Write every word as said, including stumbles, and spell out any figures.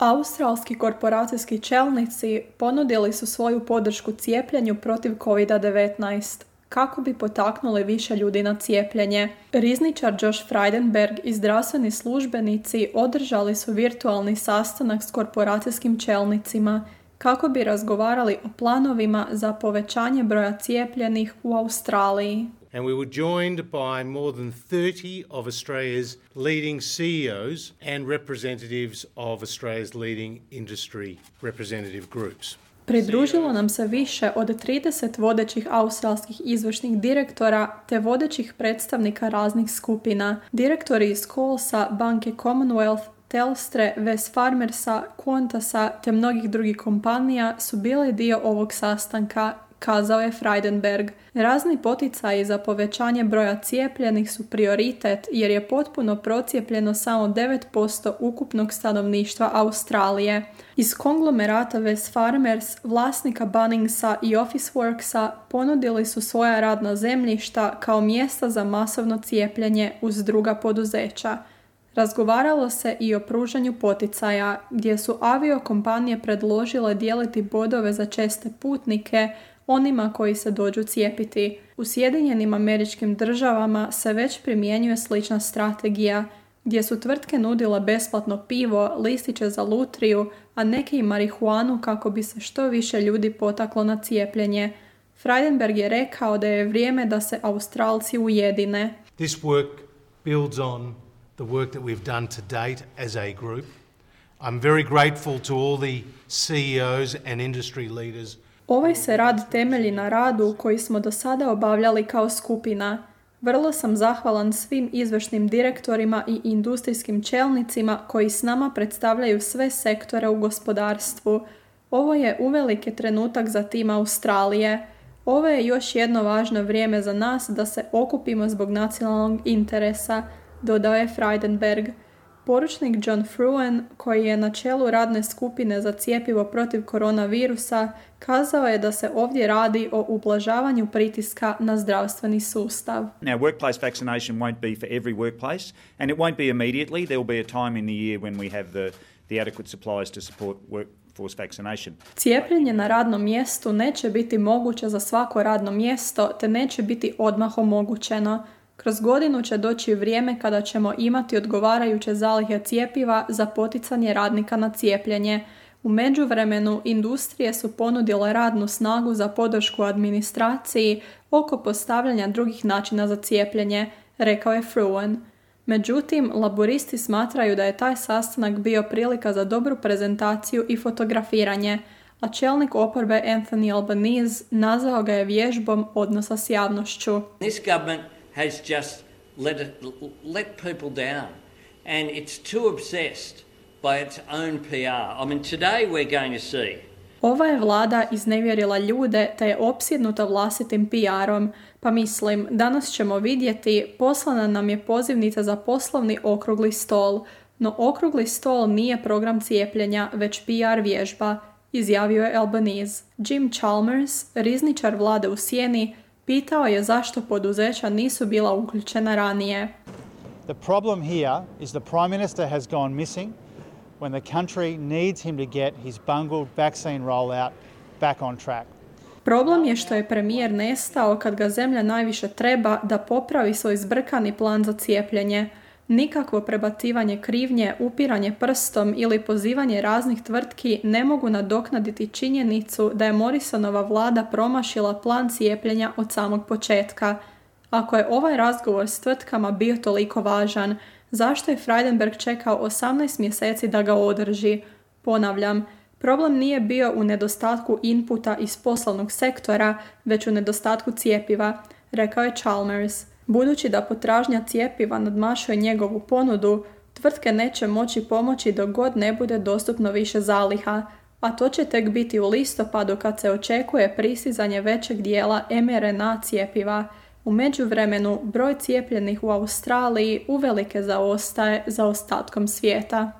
Australski korporacijski čelnici ponudili su svoju podršku cijepljenju protiv kovid devetnaest kako bi potaknuli više ljudi na cijepljenje. Rizničar Josh Frydenberg i zdravstveni službenici održali su virtualni sastanak s korporacijskim čelnicima kako bi razgovarali o planovima za povećanje broja cijepljenih u Australiji. And we were joined by more than thirty of Australia's leading C E Os and representatives of Australia's leading industry representative groups. Pridružilo nam se više od trideset vodećih australskih izvršnih direktora te vodećih predstavnika raznih skupina. Direktori iz Coalsa, banke Commonwealth, Telstre, Wesfarmersa, Qantasa te mnogih drugih kompanija su bili dio ovog sastanka, kazao je Frydenberg. Razni poticaji za povećanje broja cijepljenih su prioritet jer je potpuno procijepljeno samo devet posto ukupnog stanovništva Australije. Iz konglomerata Wesfarmers, vlasnika Bunningsa i Officeworksa ponudili su svoja radna zemljišta kao mjesta za masovno cijepljenje uz druga poduzeća. Razgovaralo se i o pružanju poticaja, gdje su aviokompanije predložile dijeliti bodove za česte putnike onima koji se dođu cijepiti. U Sjedinjenim Američkim Državama se već primjenjuje slična strategija, gdje su tvrtke nudile besplatno pivo, listiće za lutriju, a neke i marihuanu kako bi se što više ljudi potaklo na cijepljenje. Frydenberg je rekao da je vrijeme da se Australci ujedine. This work builds on the work that we've done to date as a group. I'm very grateful to all the C E Os and industry leaders. Ovaj se rad temelji na radu koji smo do sada obavljali kao skupina. Vrlo sam zahvalan svim izvršnim direktorima i industrijskim čelnicima koji s nama predstavljaju sve sektore u gospodarstvu. Ovo je uvelike trenutak za tim Australije. Ovo je još jedno važno vrijeme za nas da se okupimo zbog nacionalnog interesa, dodao je Frydenberg. Poručnik John Fruin, koji je na čelu radne skupine za cjepivo protiv koronavirusa, kazao je da se ovdje radi o ublažavanju pritiska na zdravstveni sustav. Now, workplace vaccination won't be for every workplace, and it won't be immediately. There will be a time in the year when we have the, the adequate supplies to support workforce vaccination. Cijepljenje na radnom mjestu neće biti moguće za svako radno mjesto, te neće biti odmah omogućeno. Kroz godinu će doći vrijeme kada ćemo imati odgovarajuće zalihe cjepiva za poticanje radnika na cijepljenje. U međuvremenu industrije su ponudile radnu snagu za podršku administraciji oko postavljanja drugih načina za cijepljenje, rekao je Fruin. Međutim, laburisti smatraju da je taj sastanak bio prilika za dobru prezentaciju i fotografiranje, a čelnik oporbe Anthony Albanese nazvao ga je vježbom odnosa s javnošću. This government has just let it, let people down, and it's too obsessed by its own P R. I mean, today we're going to see. Ova je vlada iznevjerila ljude te je opsjednuta vlastitim P R-om, pa mislim, danas ćemo vidjeti, poslana nam je pozivnica za poslovni okrugli stol, no okrugli stol nije program cijepljenja, već P R vježba, izjavio je Albanese. Jim Chalmers, rizničar vlade u sjeni, pitao je zašto poduzeća nisu bila uključena ranije. The problem here is the Prime Minister has gone missing when the country needs him to get his bungled vaccine rollout back on track. Problem je što je premijer nestao kad ga zemlja najviše treba da popravi svoj zbrkani plan za cijepljenje. Nikakvo prebacivanje krivnje, upiranje prstom ili pozivanje raznih tvrtki ne mogu nadoknaditi činjenicu da je Morrisonova vlada promašila plan cijepljenja od samog početka. Ako je ovaj razgovor s tvrtkama bio toliko važan, zašto je Frydenberg čekao osamnaest mjeseci da ga održi? Ponavljam, problem nije bio u nedostatku inputa iz poslovnog sektora, već u nedostatku cijepiva, rekao je Chalmers. Budući da potražnja cijepiva nadmašuje njegovu ponudu, tvrtke neće moći pomoći dok god ne bude dostupno više zaliha, a to će tek biti u listopadu kad se očekuje pristizanje većeg dijela em er en a cijepiva. U međuvremenu, broj cijepljenih u Australiji uvelike zaostaje za ostatkom svijeta.